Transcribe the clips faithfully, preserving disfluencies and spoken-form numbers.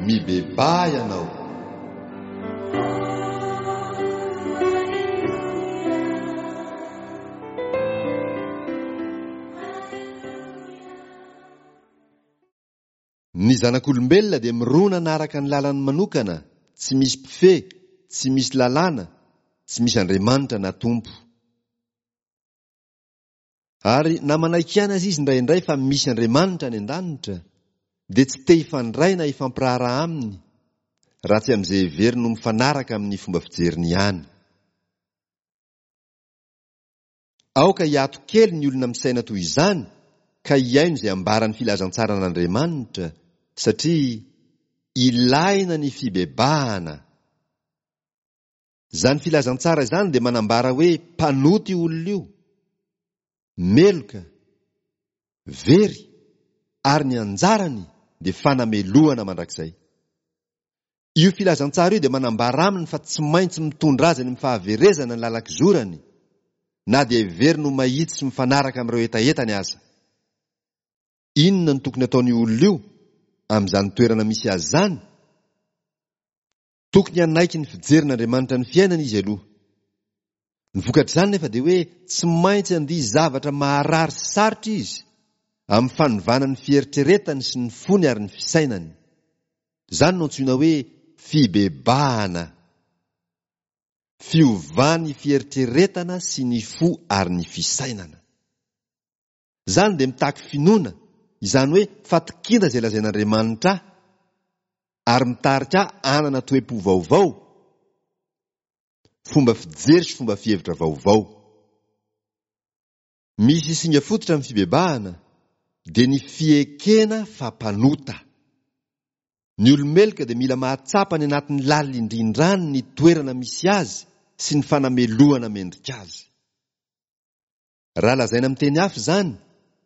Mibebaha ianao. Ny zanak'olombelona dia mirona hanaraka ny lalany manokana, tsy misy mpifehy, tsy misy lalàna, tsy misy Andriamanitra na Tompo. Ary na manaiky ihany aza izy indraindray fa misy Andriamanitra any an-danitra, dia tsy te hifandray na hifampiraharaha aminy, raha tsy amin'izay heveriny ho mifanaraka amin'ny fomba fijeriny ihany. Aoka hiato kely ny olona misaina toy izany ka hihaino izay ambaran'ny filazantsaran'Andriamanitra, satria ilaina ny fibebahana. Izany filazantsara izany dia manambara hoe mpanota io olona io, meloka, very, ary ny anjarany dia fanamelohana mandrakizay. Io filazantsara io dia manambara aminy fa tsy maintsy mitondra azy any amin'ny fahaverezana ny lalan-kizorany, na dia heveriny ho mahitsy sy mifanaraka amin'ireo hetahetany aza. Inona no tokony hataon'io olona io amin'izany toerana misy azy izany? Tokony hanaiky ny fijerin'Andriamanitra ny fiainana izy aloha. Ny vokatr'izany nefa dia hoe tsy maintsy handia zavatra maharary sy sarotra izy amin'ny fanovana ny fieritreretany sy ny fony ary ny fisainany. Izany no antsoina hoe fibebahana. Fiovan'ny fieritreretana sy ny fo ary ny fisainana. Izany dia mitaky finoana, izany hoe fatokiana izay lazain'Andriamanitra ahy, ary mitarika ahy hanana toe-po vaovao, fomba fijery sy fomba fihevitra vaovao. Misy singa fototra amin'ny fibebahana, dia ny fiekena fa mpanota. Ny olo-meloka dia mila mahatsapa any anatin'ny lalina indrindra any ny toerana misy azy sy ny fanamelohana mendrika azy. Raha lazaina amin'ny teny hafa izany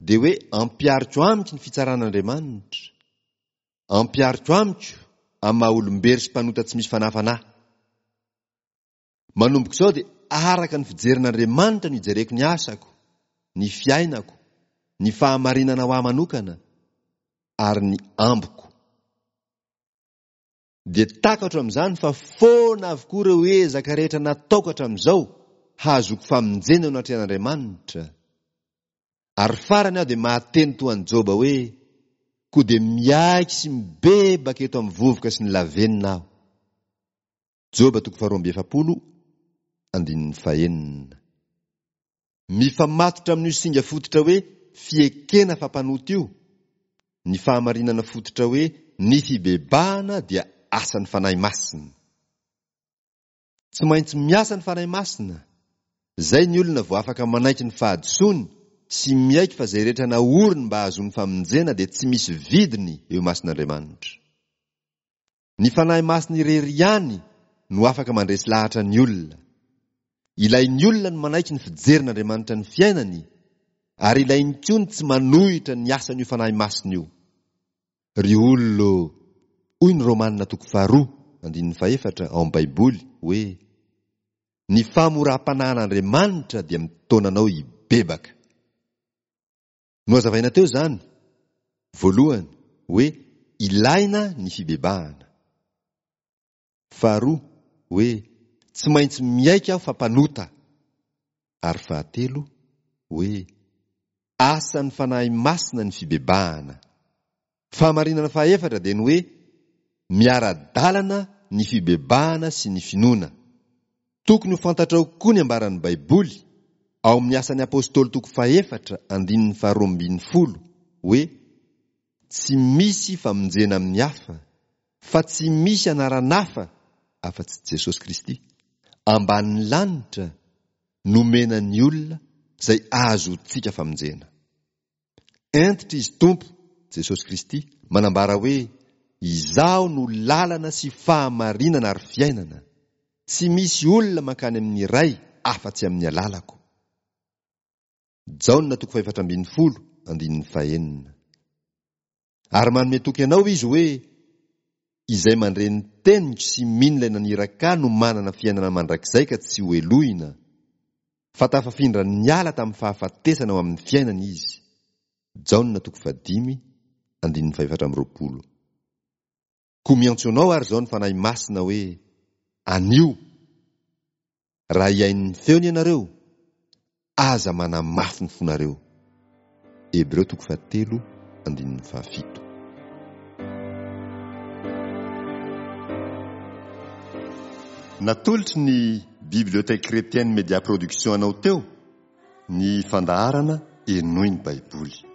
dia hoe ampihariko amiko ny fitsaran'Andriamanitra. Ampihariko amiko amin'ny maha olom-bery sy mpanota tsy misy fanafana ahy. Manomboka izao dia araka ny fijerin'Andriamanitra no ijereko ny asako, ny fiainako, ny fahamarinana ho ahy manokana ary ny ambiko. Dia takatro amin'izany fa foana avokoa ireo ezaka rehetra nataoko hatramin'izao hahazoako famonjena eo anatrehan'Andriamanitra. Ary farany aho dia mahateny toa an'i Joba hoe, Koa dia miaiky sy mibebaka eto amin'ny vovoka sy ny lavenona aho. Joba toko faharoa amby efapolo andininy fahenina. Mifamatotra amin'io singa fototra hoe fiekena fa mpanota io, ny fahamarinana fototra hoe ny fibebahana dia asan'ny Fanahy Masina. Tsy maintsy miasa ny Fanahy Masina, izay ny olona vao afaka manaiky ny fahadisoany sy miaiky fa izay rehetra naoriny mba hahazoany famonjena dia tsy misy vidiny eo imason'Andriamanitra. Ny Fanahy Masina irery ihany no afaka mandresy lahatra ny olona. Ilain'ny olona ny manaiky ny fijerin'Andriamanitra ny fiainany, ary ilainy koa ny tsy manohitra ny asan'io Fanahy Masina io. Ry olona ô, hoy ny Romana toko faharoa, andininy fahefatra, ao amin'ny Baiboly, hoe, Ny fahamoram-panahin'Andriamanitra dia mitaona anao hibebaka. Nohazavaina teo izany, voalohany, hoe ilaina ny fibebahana. Faharoa, hoe tsy maintsy miaiky aho fa mpanota. Ary fahatelo, hoe asan'ny Fanahy Masina ny fibebahana. Fahamarinana fahaefatra dia ny hoe miara-dalana ny fibebahana sy ny finoana. Tokony ho fantatrao koa ny ambaran'ny Baiboly, ao amin'ny Asan'ny Apostoly toko fahefatra andininy faharoa ambin'ny folo, hoe, Tsy misy famonjena amin'ny hafa, fa tsy misy anaran'hafa afa-tsy Jesosy Kristy, ambanin'ny lanitra, nomena ny olona izay ahazoantsika famonjena. Hentitra Izy Tompo, Jesosy Kristy, manambara hoe, Izaho no lalana sy fahamarinana ary fiainana. Tsy misy olona mankany amin'ny Ray afa-tsy amin'ny alalako. Jaona toko fahefatra ambin'ny folo, andininy fahenina. Ary manome toky anao Izy hoe, Izay mandre ny teniko sy mino ilay naniraka ahy no manana fiainana mandrakizay ka tsy hohelohina, fa tafafindra niala tamin'ny fahafatesana ho amin'ny fiainana izy. Jaona toko fahadimy, andininy fahefatra amby roapolo. Koa miantso anao ary izao ny Fanahy Masina hoe, Anio, raha hihaino ny feony ianareo, aza manamafy ny fonareo. Hebreo toko fahatelo andininy fahafito. Natolotry ny Bibliothèque Chrétienne Média Production anao teo ny fandaharana Henoy ny Baiboly.